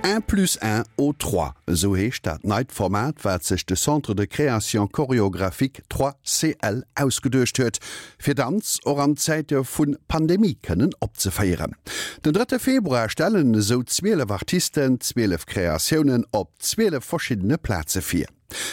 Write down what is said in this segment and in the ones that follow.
Un plus un au trois, esou heescht dat neit Format, wat sech de Centre de Création Chorégraphique 3CL ausgeduecht huet, fir Danz och an Zäite vu Pandemie kënnen opzeféieren. Den drëtte Februar stellen esou 12 Artisten 12 Kreatiounen op 12 verschiddene Plaze vir.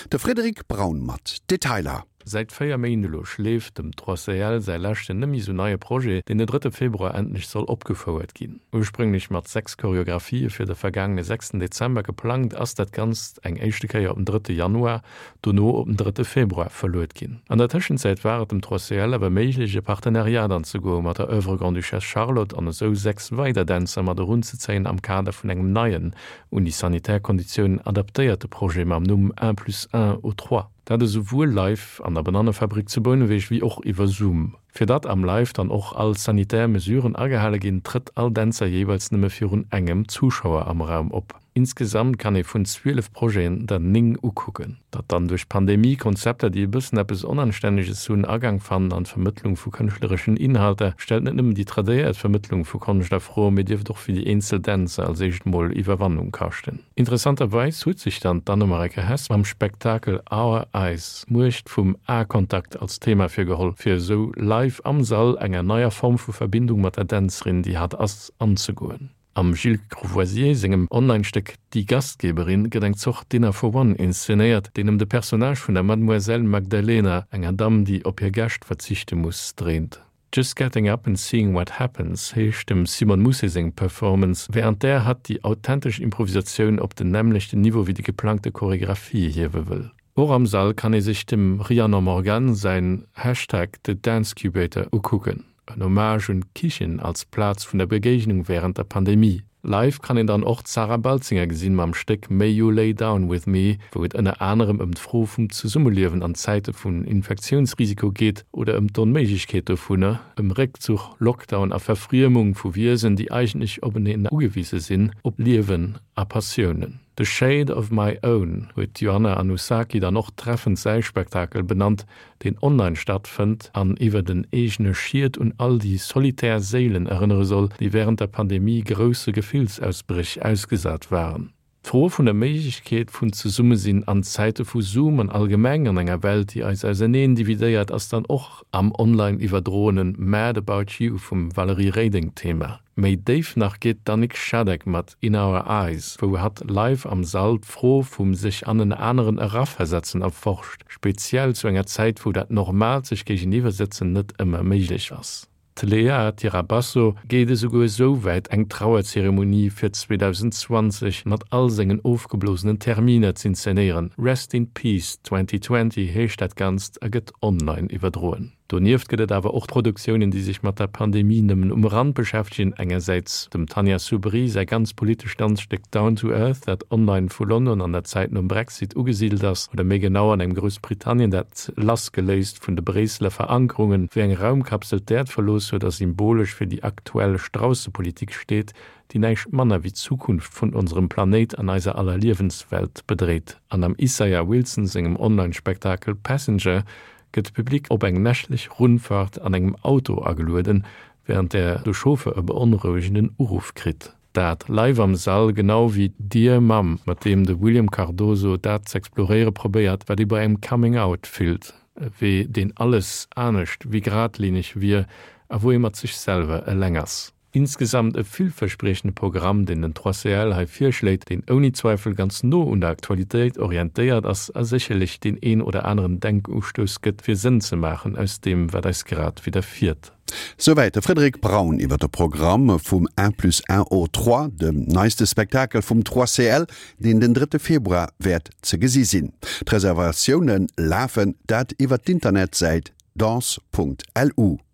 De Frédéric Braun mat Detailer. Säit 4 Méint elo schleeft dem 3CL säi leschten net méi sou neie Projet, deen den drëtte Februar endlech soll opgefouert ginn. Ursprénglech mat 6 Choreographië fir de vergaangene sechsten Dezember geplangt, ass dat Ganzt eng éischte Kéier op den drëtte Januar, dono op den drëtte Februar verluet ginn. An der Tëschenzäit war et dem 3CL awer méiglech e Partenariat anzegoe mat der Oeuvre Grande-Duchesse Charlotte an esou 6 weider Dänzer mat erunzezéien am Kader vun engem neien, un déi sanitär Konditiounen adaptéierte Projet mam Numm Un plus un au trois. Dat esouwuel live an der Banannefabrik zu Bouneweg wéi och iwwer Zoom. Fir datt am Live dann och all sanitär Mesuren agehale ginn, trëtt all Dänzer jeeweils nëmme virun engem Zuschauer am Raum op. Insgesamt kann ee vun 12 Projeten der 9 ukucken. Datt dann duerch d'Pandemie Konzepter, déi e bëssen eppes Onanstänneges hunn, Agang fannen an d'Vermëttlung vu kënschtlereschen Inhalter, stellt net nëmmen déi tradéiert Vermëttlung vu Konscht a Fro, mee dierft och fir déi eenzel Dänzer als éischt mol Iwwerwannung kaschten. Interessanterweis huet sech dann d'Anne-Mareike Hess mam Spektakel Our Eyes d'Muecht vum Aekontakt als Thema virgeholl, fir esou live am Sall enger neier Form vu Verbindung mat der Dänzerin, déi hatt ass, anzegoen. Am Gilles Courvoisier sengem Online-Stéck Die Gastgeberin gëtt eng Zort Dinner for One inszenéiert, deen ëm de Personnage vun der Mademoiselle Magdalena, enger Damm, déi op hir Gäscht verzichte muss, dréint. Just Getting Up and Seeing What Happens heescht dem Simone Mousset seng Performance, wärend där hatt déi authentesch Improvisatioun op den nämmlechten Niveau wéi déi geplangte Choregraphie hiewe wëll. Och am Sall kann ee sech dem Rhiannon Morgan säin Hashtag The Dancecubator ukucken, en Hommage un d'Kichen als Plaz vun der Begéignung wärend der Pandemie. Live kann een dann och d'Sarah Baltzinger gesinn mam Stéck May You Lay Down With Me, wou et ënner anerem ëm d'Fro vum Zesummeliewen an Zäite vun Infektiounsrisiko geet oder ëm d'Onméiglechkeet dovunner, ëm Réckzuch, Lockdown a Verfriemung vu Wiesen, déi eigentlech openeen ugewise sinn, op Liewen a Passiounen. The Shade of My Own huet d'Joanna Anosaki dann och treffend säi Spektakel benannt, deen online stattfënnt an iwwer den eegene Schied un all déi solitär Séilen erënnere soll, déi wärend der Pandemie grousse Gefillsausbréch ausgesat waren. D'Fro vun der Méiglechkeet vun Zesummesinn an Zäite vu Zoom an allgemeng an enger Welt, déi eis auserneen dividéiert, ass dann och am online iwwerdroene Mad About You vum Valérie Reding Thema. Méi déif nach geet d'Annick Schadeck mat In Our Eyes, wou hatt live am Sall d'Fro vum sech an en aneren eraversetzen erforscht, speziell zu enger Zäit, wou dat normaalt sech géigeniwwersëtzen net ëmmer méiglech ass. D'Léa Tirabasso geet esouguer esou wäit, eng Trauerzeremonie fir 2020 mat all sengen ofgeblosenen Terminer z'inszenéieren. Rest in Peace 2020 heescht dat Ganzt a gëtt online iwwerdroen. Donieft gëtt et awer och Produktiounen, déi sech mat der Pandemie nëmmen um Rand beschäftegen. Engersäits dem Tanja Soubry säi ganz politescht Danzstéck Down to Earth, dat online vu London an der Zäit nom Brexit ugesidelt ass, oder méi genau an engem Groussbritannien, dat lassgeléist vun de Bréisseler Verankerungen, wéi eng Raumkapsel d'Äerd verlooss huet a symbolesch fir déi aktuell Straussepolitik steet, déi näischt manner wéi d'Zukunft vun onserem Planéit an eiser aller Liewenswelt bedréit. An am Isaiah Wilson sengem Online-Spektakel Passenger gëtt de Public op eng nächtlech Rundfahrt an engem Auto agelueden, wärend där de Chauffeur e beonrouegenden Uruff kritt. Dat live am Sall, genau wéi Dear Mum, mat deem de William Cardoso dat z'exploréiere probéiert, wat ee bei engem Coming Out fillt, e Wee, deen alles anescht wéi geradlineg wier a wou ee mat sech selwer eleng ass. Insgesamt e villverspriechende Programm, deen den 3CL hei virschléit, deen ouni Zweifel ganz no un der Aktualitéit orientéiert ass a sécherlech deen een oder aneren Denkustouss gëtt, fir Sënn ze maachen aus deem, wat eis grad widderfiert. Souwäit de Frédéric Braun iwwer de Programm vum Un plus un au trois, dem neiste Spektakel vum 3CL, deen den drëtte Februar wäert ze gesi sinn. D'Reservatioune lafen, dat iwwer d'Internetsäit danse.lu.